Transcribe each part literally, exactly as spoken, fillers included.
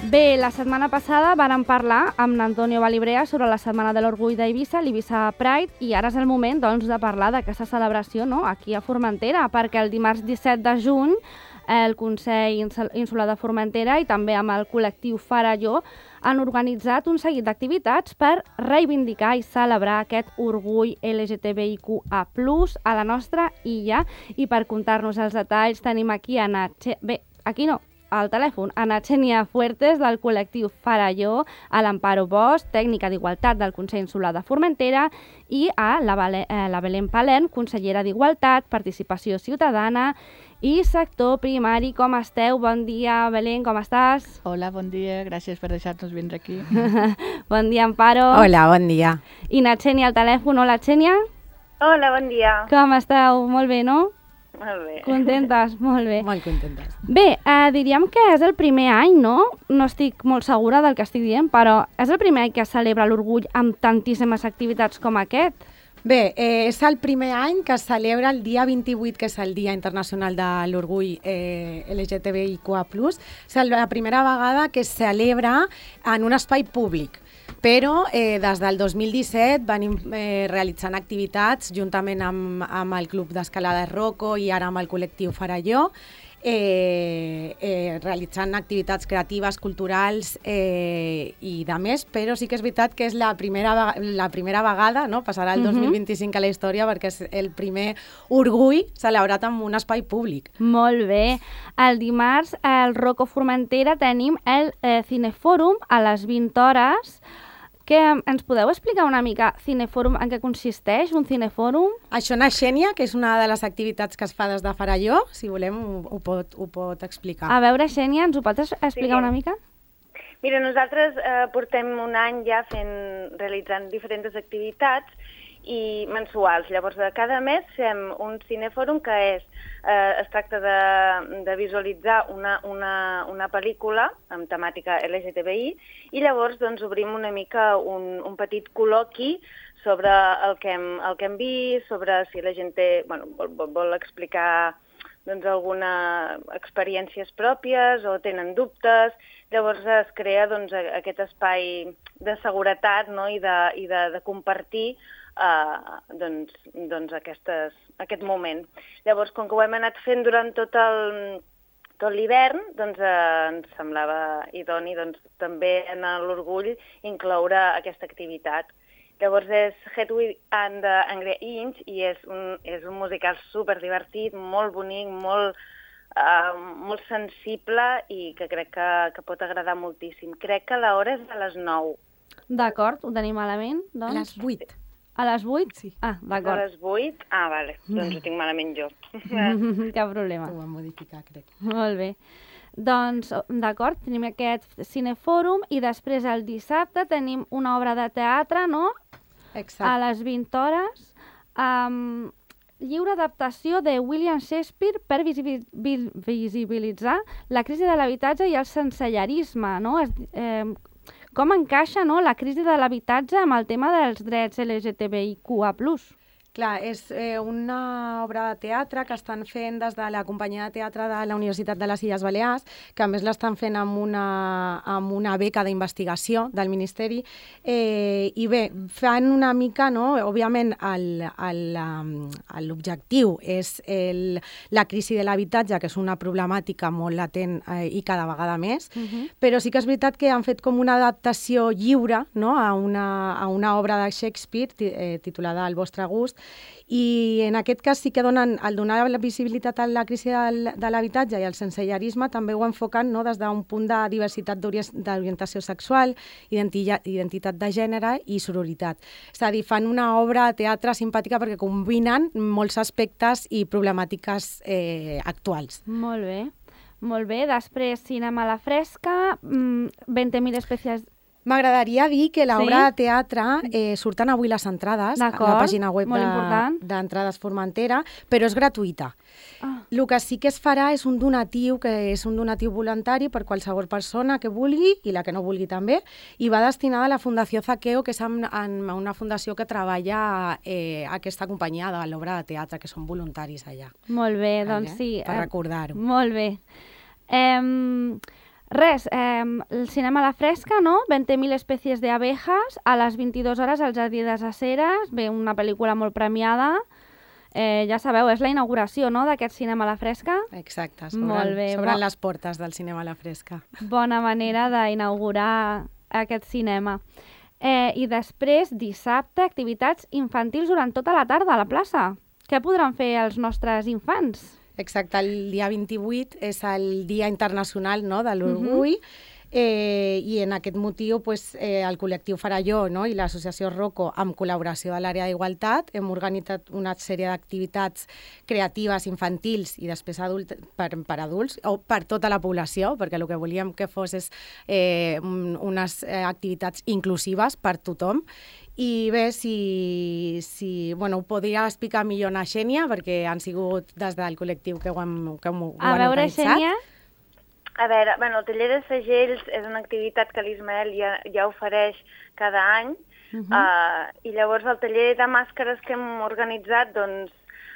Bé, la setmana passada vàrem parlar amb l'Antonio Valibrea sobre la Setmana de l'Orgull d'Eivissa, l'Eivissa Pride, i ara és el moment doncs, de parlar d'aquesta celebració, no?, aquí a Formentera, perquè el dimarts disset de juny el Consell Insular de Formentera i també amb el col·lectiu Faralló han organitzat un seguit d'activitats per reivindicar i celebrar aquest orgull L G T B I Q A plus, a la nostra illa. I per contar-nos els detalls tenim aquí a Natxe... Bé, aquí no, al telèfon, a Natxènia Fuertes, del col·lectiu Faralló, a l'Amparo Bosch, tècnica d'Igualtat del Consell Insular de Formentera, i a la, Vale, eh, la Belén Palent, consellera d'Igualtat, Participació Ciutadana i Sector Primari. Com esteu? Bon dia, Belén, com estàs? Hola, bon dia, gràcies per deixar-nos vindre aquí. Bon dia, Amparo. Hola, bon dia. I Natxènia al telèfon. Hola, Natxènia. Hola, bon dia. Com esteu? Molt bé, no? Molt bé. Contentes? Molt bé. Molt contentes. Bé, eh, diríem que és el primer any, no? No estic molt segura del que estic dient, però és el primer any que es celebra l'orgull amb tantíssimes activitats com aquest? Bé, eh, és el primer any que es celebra el dia vint-i-vuit, que és el Dia Internacional de l'Orgull eh, L G T B I Q A plus. És la primera vegada que es celebra en un espai públic. Però eh, des del dos mil disset venim eh, realitzant activitats juntament amb, amb el Club d'Escalada Rocco i ara amb el col·lectiu Faralló, eh, eh, realitzant activitats creatives, culturals eh, i de més, però sí que és veritat que és la primera, la primera vegada, no? Passarà el dos mil vint-i-cinc a la història perquè és el primer orgull celebrat en un espai públic. Molt bé. El dimarts al Rocco Formentera tenim el eh, Cinefòrum a les vint hores. Que ens podeu explicar una mica Cinefòrum en què consisteix, un cinefòrum? Això, Natxènia, que és una de les activitats que es fa des de Faralló, si volem ho, ho, pot, ho pot explicar. A veure, Xènia, ens ho pots explicar Sí. una mica? Mira, nosaltres eh, portem un any ja fent, realitzant diferents activitats i mensuals. Llavors, de cada mes fem un cinefòrum que és, eh, es tracta de, de visualitzar una, una, una pel·lícula amb temàtica L G T B I i llavors doncs, obrim una mica un, un petit col·loqui sobre el que hem, el que hem vist, sobre si la gent té, bueno, vol, vol, vol explicar doncs, alguna experiències pròpies o tenen dubtes. Llavors es crea doncs, aquest espai de seguretat, no? I, de, i de, de compartir Uh, doncs, doncs aquestes, aquest moment. Llavors, com que ho hem anat fent durant tot el tot l'hivern, doncs uh, ens semblava idoni doncs, també en l'orgull incloure aquesta activitat. Llavors és Hedwig and the Angry Inch i és un, és un musical superdivertit, molt bonic, molt, uh, molt sensible i que crec que, que pot agradar moltíssim. Crec que l'hora és a les nou. D'acord, ho tenim malament, doncs? A les vuit. A les vuit? Sí. Ah, A d'acord. les vuit? Ah, vale. Doncs ho tinc malament jo. Cap problema. Ho vam modificar, crec. Molt bé. Doncs, d'acord, tenim aquest cinefòrum i després el dissabte tenim una obra de teatre, no? Exacte. A les vint hores. Um, lliure adaptació de William Shakespeare per visibi visibilitzar la crisi de l'habitatge i el sensellarisme, no? Es, eh, com encaixa, no, la crisi de l'habitatge amb el tema dels drets L G T B I Q A plus? Clar, és eh, una obra de teatre que estan fent des de la companyia de teatre de la Universitat de les Illes Balears, que a més l'estan fent amb una, amb una beca d'investigació del Ministeri, eh, i bé, fan una mica, no? Òbviament l'objectiu és el, la crisi de l'habitatge, que és una problemàtica molt latent eh, i cada vegada més, uh-huh. Però sí que és veritat que han fet com una adaptació lliure, no? a, una, a una obra de Shakespeare eh, titulada El vostre gust, i en aquest cas sí que donen, al donar la visibilitat a la crisi del, de l'habitatge i el sensellarisme també ho enfoquen, no? Des d'un punt de diversitat d'orientació sexual, identitat, identitat de gènere i sororitat. És a dir, fan una obra de teatre simpàtica perquè combinen molts aspectes i problemàtiques eh, actuals. Molt bé, molt bé. Després, cinema a la fresca, mmm, vint mil espècies... M'agradaria dir que l'obra Sí? de teatre eh, surten avui les entrades a la D'acord, pàgina web molt de- important. d'Entrades Formentera, però és gratuïta. Ah. El que sí que es farà és un donatiu, que és un donatiu voluntari per qualsevol persona que vulgui i la que no vulgui també, i va destinada a la Fundació Zaqueo, que és en, en una fundació que treballa eh, aquesta companyia de l'obra de teatre, que són voluntaris allà. Molt bé, Vale? doncs sí. Per eh, recordar-ho. Molt bé. Eh, Res, eh, el cinema a la fresca, no? veinte mil especies de abejas, a les vint-i-dues hores al Jardí de les Aceres, bé, una pel·lícula molt premiada. Eh, ja sabeu, és la inauguració, no?, d'aquest cinema a la fresca. Exacte, Molt s'obren bé, s'obren bo- les portes del cinema a la fresca. Bona manera d'inaugurar aquest cinema. Eh, I després, dissabte, activitats infantils durant tota la tarda a la plaça. Què podran fer els nostres infants? Exacte, el dia vint-i-vuit és el Dia Internacional, no?, de l'Orgull, uh-huh. eh, i en aquest motiu pues, eh, el col·lectiu Faralló, no?, i l'associació Rocco, amb col·laboració de l'àrea d'Igualtat, hem organitzat una sèrie d'activitats creatives infantils i després adult, per, per adults, o per tota la població, perquè el que volíem que fos és eh, un- unes eh, activitats inclusives per tothom. I bé, si, si bueno, ho podria explicar millor na Xènia, perquè han sigut des del col·lectiu que ho han, que ho, ho A han veure, organitzat. Xènia, A veure, bueno, el taller de segells és una activitat que l'Ismael ja, ja ofereix cada any, uh -huh. uh, i llavors el taller de màscares que hem organitzat, doncs,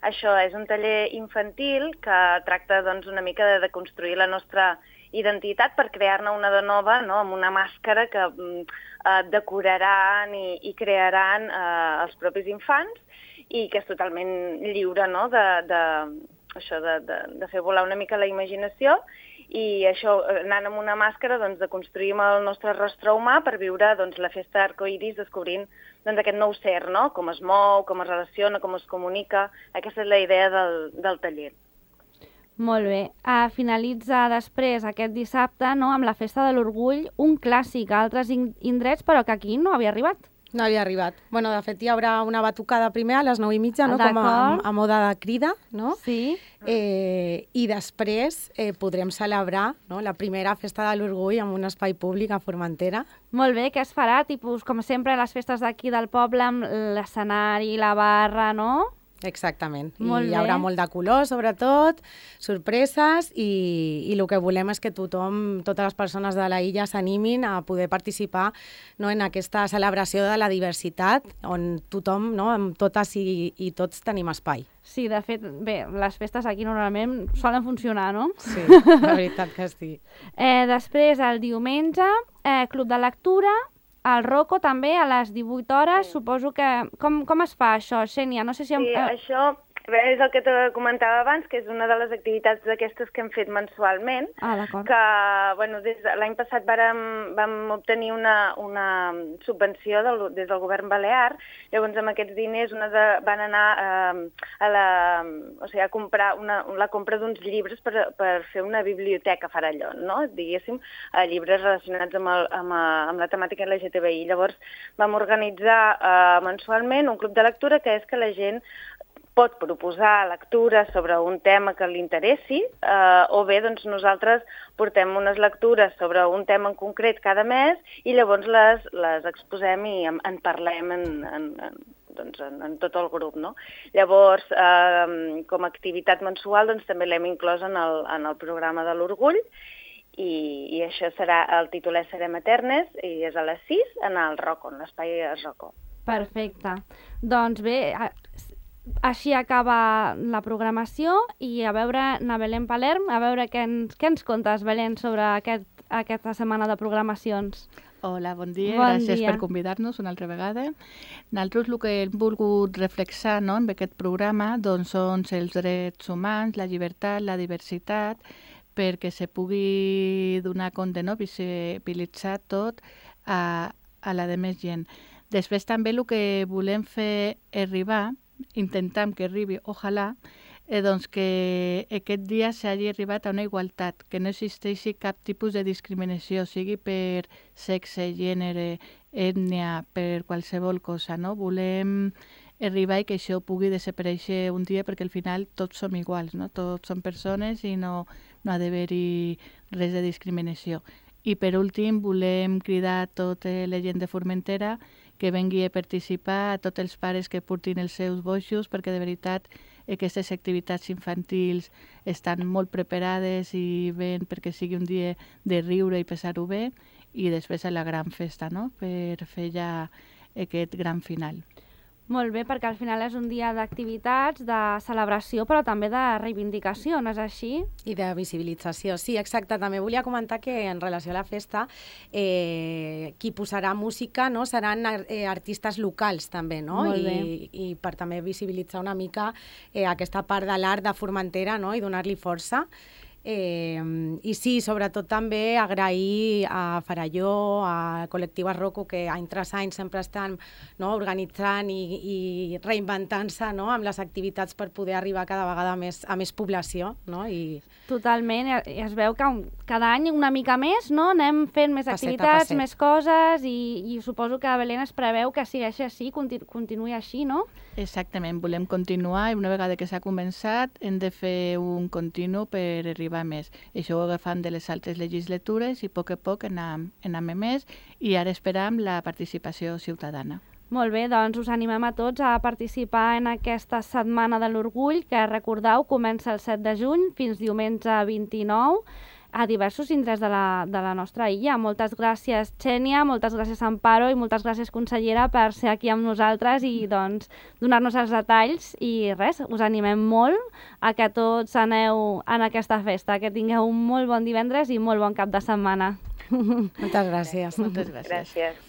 això és un taller infantil que tracta doncs, una mica de, de construir la nostra identitat per crear-ne una de nova, no?, amb una màscara que eh, decoraran i, i crearan eh, els propis infants i que és totalment lliure, no?, de, de, això de, de, de fer volar una mica la imaginació i això, anant amb una màscara, doncs, de construir amb el nostre rostre humà per viure doncs, la festa arcoiris descobrint doncs, aquest nou ser, no?, com es mou, com es relaciona, com es comunica. Aquesta és la idea del, del taller. molt bé. Uh, finalitza després aquest dissabte, no?, amb la Festa de l'Orgull, un clàssic a altres in- indrets, però que aquí no havia arribat. No havia arribat. Bueno, de fet, hi haurà una batucada primer a les nou i mitja, no?, com a, D'acord. a moda de crida, no? Sí. Eh, I després eh, podrem celebrar, no?, la primera Festa de l'Orgull en un espai públic a Formentera. Molt bé, què es farà? Tipus, com sempre, les festes d'aquí del poble, amb l'escenari, la barra, no? Exactament. Molt I hi haurà bé. molt de color, sobretot, sorpreses, i, i el que volem és que tothom, totes les persones de la illa s'animin a poder participar, no?, en aquesta celebració de la diversitat, on tothom, no?, amb totes i, i tots tenim espai. Sí, de fet, bé, les festes aquí normalment solen funcionar, no? Sí, la veritat que sí. Eh, després, el diumenge, eh, Club de Lectura, el Rocco també a les divuit hores, Sí. suposo que... Com, com es fa això, Xènia? No sé si... Em... Sí, eh, això bé, és el que te comentava abans, que és una de les activitats d'aquestes que hem fet mensualment, Ah, d'acord. que bueno, des de l'any passat vàrem, vam obtenir una, una subvenció del, des del govern balear, llavors amb aquests diners una de, van anar eh, a, la, o sigui, a comprar una, la compra d'uns llibres per, per fer una biblioteca Faralló, no?, diguéssim, eh, llibres relacionats amb, el, amb, eh, amb la temàtica L G T B I. Llavors vam organitzar eh, mensualment un club de lectura que és que la gent pot proposar lectures sobre un tema que li interessi, eh, o bé doncs, nosaltres portem unes lectures sobre un tema en concret cada mes i llavors les, les exposem i en, en parlem en, en, en, doncs, en, en tot el grup, no? Llavors, eh, com a activitat mensual, doncs, també l'hem inclòs en el, en el programa de l'Orgull i, i això serà, el títol és Serem Eternes i és a les sis en el Rocco, en l'espai Rocco. Perfecte. Doncs bé, a- així acaba la programació i a veure, na Belén Palerm, a veure què ens, què ens contes, Belén, sobre aquest, aquesta setmana de programacions. Hola, bon dia, Bon gràcies dia. per convidar-nos una altra vegada. Nosaltres el que hem volgut reflexar, no, en aquest programa doncs, són els drets humans, la llibertat, la diversitat, perquè se pugui donar compte, no, visibilitzar tot a, a la de més gent. Després també el que volem fer arribar, intentam que arribi, ojalà, eh, doncs que aquest dia s'hagi arribat a una igualtat, que no existeixi cap tipus de discriminació, sigui per sexe, gènere, ètnia, per qualsevol cosa, no? Volem arribar i que això pugui desaparèixer un dia perquè al final tots som iguals, no? Tots som persones i no, no ha d'haver-hi res de discriminació. I per últim volem cridar a tota la gent de Formentera que vengui a participar, a tots els pares que portin els seus boixos, perquè de veritat aquestes activitats infantils estan molt preparades i ben perquè sigui un dia de riure i passar-ho bé, i després a la gran festa, no?, per fer ja aquest gran final. Molt bé, perquè al final és un dia d'activitats, de celebració, però també de reivindicació, no és així? I de visibilització, sí, exacte. També volia comentar que en relació a la festa, eh, qui posarà música, no, seran eh, artistes locals també, no? Molt bé. I, i per també visibilitzar una mica eh, aquesta part de l'art de Formentera, no? I donar-li força. Eh, I sí, sobretot també agrair a Faralló, a Col·lectiu Arroco, que any tras any sempre estan, no, organitzant i, i reinventant-se, no, amb les activitats per poder arribar cada vegada més, a més població. No? I... Totalment, i es veu que cada any una mica més, no? Anem fent més Passet a activitats, passet. més coses, i, i suposo que Belén es preveu que sigui així, continu, continuï així, no? Exactament, volem continuar i una vegada que s'ha començat hem de fer un continu per arribar més. Això ho agafam de les altres legislatures i a poc a poc anem, anem més i ara esperam la participació ciutadana. Molt bé, doncs us animem a tots a participar en aquesta Setmana de l'Orgull, que recordeu comença el set de juny fins diumenge vint-i-nou a diversos indrets de la, de la nostra illa. Moltes gràcies, Xènia, moltes gràcies, Amparo, i moltes gràcies, consellera, per ser aquí amb nosaltres i doncs donar-nos els detalls. I res, us animem molt a que tots aneu en aquesta festa, que tingueu un molt bon divendres i molt bon cap de setmana. Moltes gràcies. Moltes gràcies. Gràcies.